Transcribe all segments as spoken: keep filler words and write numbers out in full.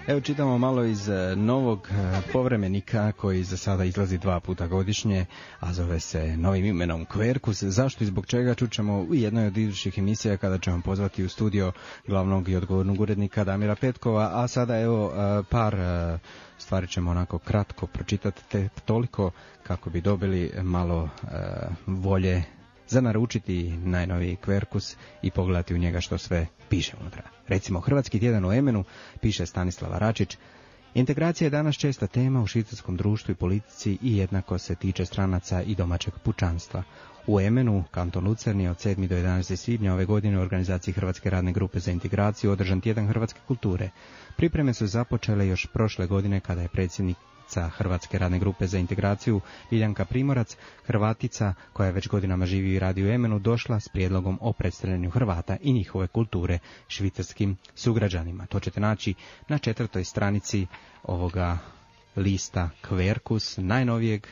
Evo čitamo malo iz novog povremenika koji za sada izlazi dva puta godišnje, a zove se novim imenom Kverkus. Zašto i zbog čega čućemo u jednoj od idućih emisija kada ćemo pozvati u studio glavnog i odgovornog urednika Damira Petkova, a sada evo par stvari ćemo onako kratko pročitati, te toliko kako bi dobili malo volje za naručiti najnoviji Kverkus i pogledati u njega što sve piše unutra. Recimo, Hrvatski tjedan u Emenu, piše Stanislava Račić, integracija je danas česta tema u švicarskom društvu i politici i jednako se tiče stranaca i domaćeg pučanstva. U Emenu, kanton Lucerni, od sedmog do jedanaestog svibnja ove godine u organizaciji Hrvatske radne grupe za integraciju održan tjedan hrvatske kulture. Pripreme su započele još prošle godine kada je predsjednik Hrvatske radne grupe za integraciju Ljiljanka Primorac, Hrvatica koja je već godinama živi i radi u Emenu, došla s prijedlogom o predstavljanju Hrvata i njihove kulture švicarskim sugrađanima. To ćete naći na četvrtoj stranici ovoga lista Kverkus, najnovijeg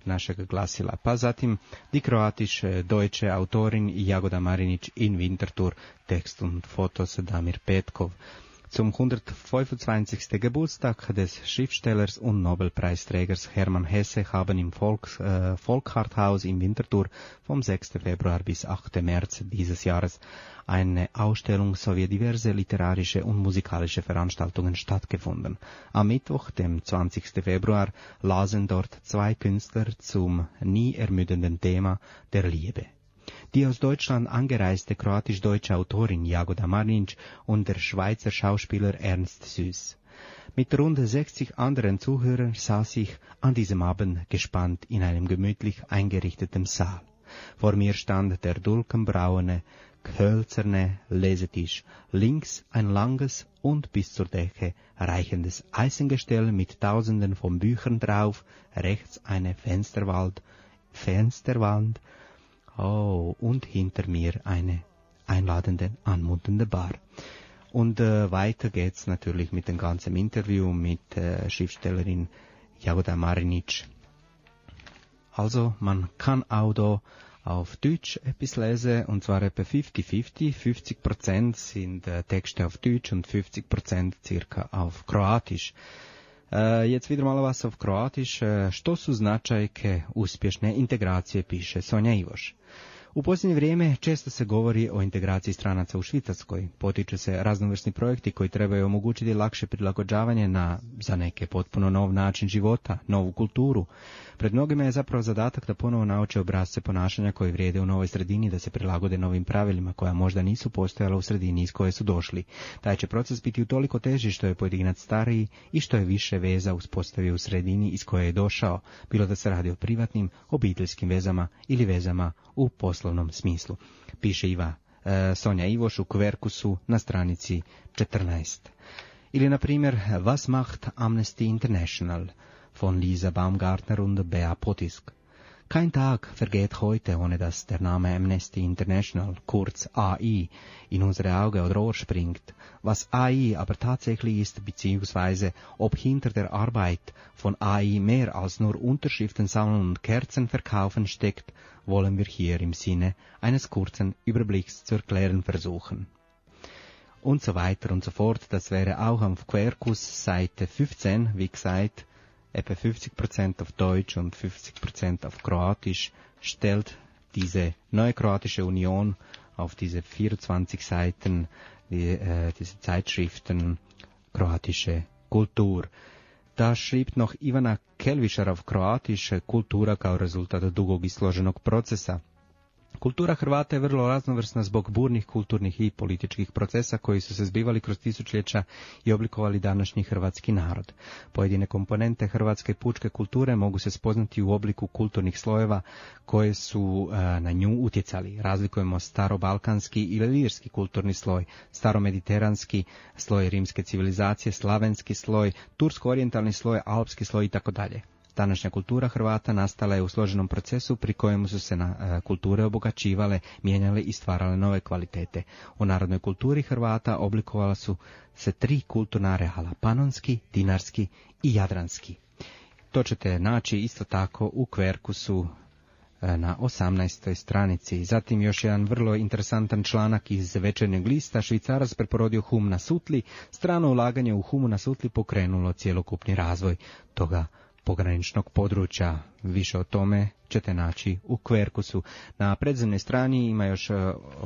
našeg glasila. Pa zatim Die Kroatische Deutsche Autorin Jagoda Marinić in Winterthur, Text und Fotos Damir Petkov. Zum hundertfünfundzwanzigsten Geburtstag des Schriftstellers und Nobelpreisträgers Hermann Hesse haben im Volks, äh, Volkharthaus in Winterthur vom sechsten Februar bis achten März dieses Jahres eine Ausstellung sowie diverse literarische und musikalische Veranstaltungen stattgefunden. Am Mittwoch, dem zwanzigsten Februar, lasen dort zwei Künstler zum nie ermüdenden Thema der Liebe. Die aus Deutschland angereiste kroatisch-deutsche Autorin Jagoda Marinić und der Schweizer Schauspieler Ernst Süß. Mit rund sechzig anderen Zuhörern saß ich an diesem Abend gespannt in einem gemütlich eingerichteten Saal. Vor mir stand der dulkenbraune, hölzerne Lesetisch, links ein langes und bis zur Decke reichendes Eisengestell mit tausenden von Büchern drauf, rechts eine Fensterwand, Fensterwand, oh, und hinter mir eine einladende, anmutende Bar. Und äh, weiter geht's natürlich mit dem ganzen Interview mit äh, Schriftstellerin Jagoda Marinić. Also, man kann auch da auf Deutsch etwas lesen, und zwar etwa fünfzig fünfzig. fünfzig Prozent sind äh, Texte auf Deutsch und fünfzig Prozent circa auf Kroatisch. Uh, jetzt wieder malo vas auf Kroatiš. Uh, što su značajke uspješne integracije, piše Sonja Ivoš. U posljednje vrijeme često se govori o integraciji stranaca u Švicarskoj. Potiču se raznovrsni projekti koji trebaju omogućiti lakše prilagođavanje na, za neke, potpuno nov način života, novu kulturu. Pred mnogima je zapravo zadatak da ponovo nauče obrasce ponašanja koji vrijede u novoj sredini, da se prilagode novim pravilima koja možda nisu postojala u sredini iz koje su došli. Taj će proces biti utoliko teži što je pojedinac stariji i što je više veza uspostavio u sredini iz koje je došao, bilo da se radi o privatnim, obiteljskim vezama ili vezama u poslovnom smislu. Piše Iva e, Sonja Ivoš u Kverkusu na stranici četrnaest. Ili, na primjer, Was macht Amnesty International von Lisa Baumgartner und Bea Potisk. Kein Tag vergeht heute, ohne dass der Name Amnesty International, kurz A I, in unsere Augen oder Ohr springt. Was A I aber tatsächlich ist, beziehungsweise ob hinter der Arbeit von A I mehr als nur Unterschriften sammeln und Kerzen verkaufen steckt, wollen wir hier im Sinne eines kurzen Überblicks zu erklären versuchen. Und so weiter und so fort. Das wäre auch auf Kverkus Seite fünfzehn, wie gesagt, etwa fünfzig Prozent auf Deutsch und fünfzig Prozent auf Kroatisch, stellt diese neue kroatische Union auf diese vierundzwanzig Seiten, die, äh, diese Zeitschriften kroatische Kultur. Da schrieb noch Ivana Kelvišar auf Kroatisch, kultura kao rezultat dugog i složenog procesa. Kultura Hrvata je vrlo raznovrsna zbog burnih kulturnih i političkih procesa koji su se zbivali kroz tisućljeća i oblikovali današnji hrvatski narod. Pojedine komponente hrvatske pučke kulture mogu se spoznati u obliku kulturnih slojeva koje su e, na nju utjecali. Razlikujemo starobalkanski ili lirski kulturni sloj, staromediteranski sloj rimske civilizacije, slavenski sloj, tursko-orijentalni sloj, alpski sloj i tako dalje. Današnja kultura Hrvata nastala je u složenom procesu pri kojemu su se na e, kulture obogaćivale, mijenjale i stvarale nove kvalitete. U narodnoj kulturi Hrvata oblikovala su se tri kulturna areala, panonski, dinarski i jadranski. To ćete naći isto tako u Kverkusu na osamnaestoj stranici. Zatim još jedan vrlo interesantan članak iz Večernjeg lista. Švicarac preporodio hum na sutli. Strano ulaganje u humu na sutli pokrenulo cjelokupni razvoj toga pograničnog područja. Više o tome ćete naći u Kverkusu. Na predzemnoj strani ima još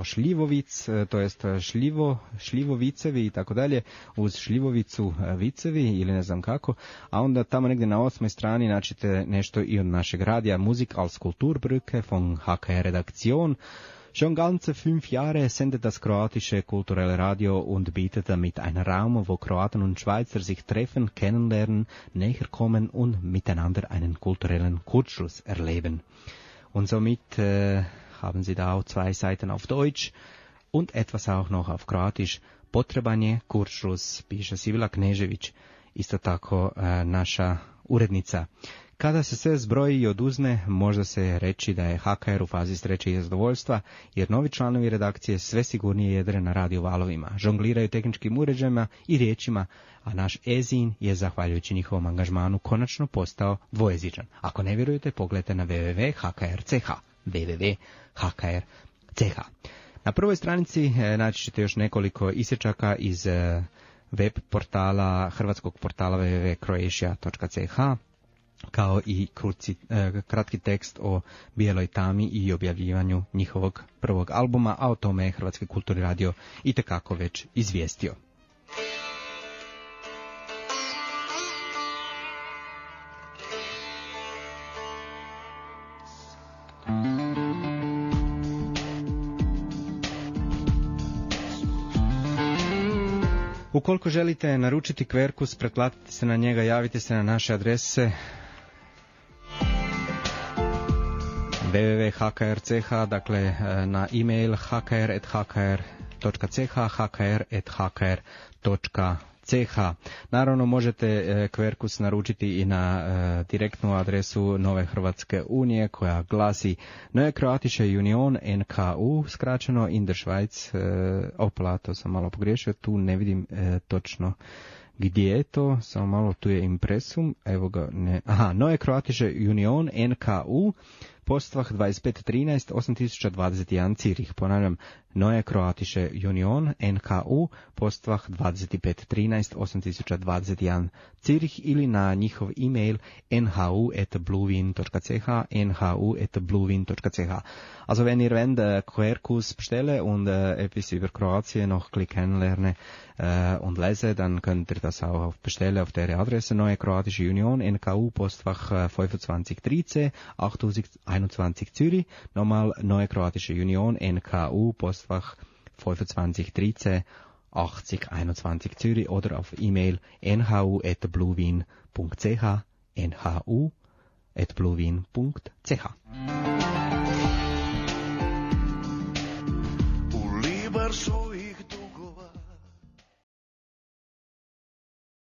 šljivovic, to jest šljivo, šljivovicevi i tako dalje, uz šljivovicu vicevi ili ne znam kako, a onda tamo negdje na osmoj strani naćite nešto i od našeg radija, Musik als Kulturbrücke von H K R Redaktion. Schon ganze fünf Jahre sendet das kroatische kulturelle Radio und bietet damit einen Raum, wo Kroaten und Schweizer sich treffen, kennenlernen, näher kommen und miteinander einen kulturellen Kurzschluss erleben. Und somit äh, haben Sie da auch zwei Seiten auf Deutsch und etwas auch noch auf Kroatisch. Potreban je Kurzschluss, piše Sibila Knežević, isto tako äh, naša urednica. Kada se sve zbroji i oduzme, može se reći da je H K R u fazi sreće i zadovoljstva, jer novi članovi redakcije sve sigurnije jedre na radio valovima, žongliraju tehničkim uređajima i riječima, a naš Ezin je, zahvaljujući njihovom angažmanu, konačno postao dvojezičan. Ako ne vjerujete, pogledajte na w w w punkt h k r punkt c h. w w w punkt h k r punkt c h. Na prvoj stranici naći ćete još nekoliko isječaka iz web portala, hrvatskog portala w w w punkt croatia punkt c h, kao i kruci, eh, kratki tekst o Bijeloj tami i objavljivanju njihovog prvog albuma, a o tome je Hrvatski kulturni radio itekako već izvijestio. Ukoliko želite naručiti Kverkus, pretplatite se na njega, javite se na naše adrese w w w punkt h k r punkt c h, dakle na e-mail h k r at h k r dot c h, h k r at h k r dot c h. Naravno možete Kverkus naručiti i na e, direktnu adresu Nove Hrvatske unije koja glasi Neue Kroatische Union N K U, skraćeno in der Schweiz. E, opla, to sam malo pogriješio, tu ne vidim e, točno gdje je to, samo malo, tu je impresum, evo ga, ne, aha, Neue Kroatische Union N K U, Postvah dvadeset pet trinaest osam tisuća dvadeset jedan Cirih. Ponavljam, Neue Kroatische Union N K U, Postvah dvadeset pet trinaest osam tisuća dvadeset jedan Cirih, ili na njihov e-mail n h u at bluewin dot c h, n h u at bluewin dot c h. Also wenn ihr wenn der Querkurs bestelle und äh, etwas über Kroatien noch kennenlerne äh, und lese, dann könnt ihr das auch bestellen auf der Adresse Neue Kroatische Union N K U, Postfach äh, fünfundzwanzig dreizehn achttausendeinundzwanzig Zürich. Nochmal Neue Kroatische Union N K U, Postfach fünfundzwanzig dreizehn achtzig einundzwanzig Zürich, oder auf E-Mail n h u at bluewin dot c h, n h u at bluewin dot c h.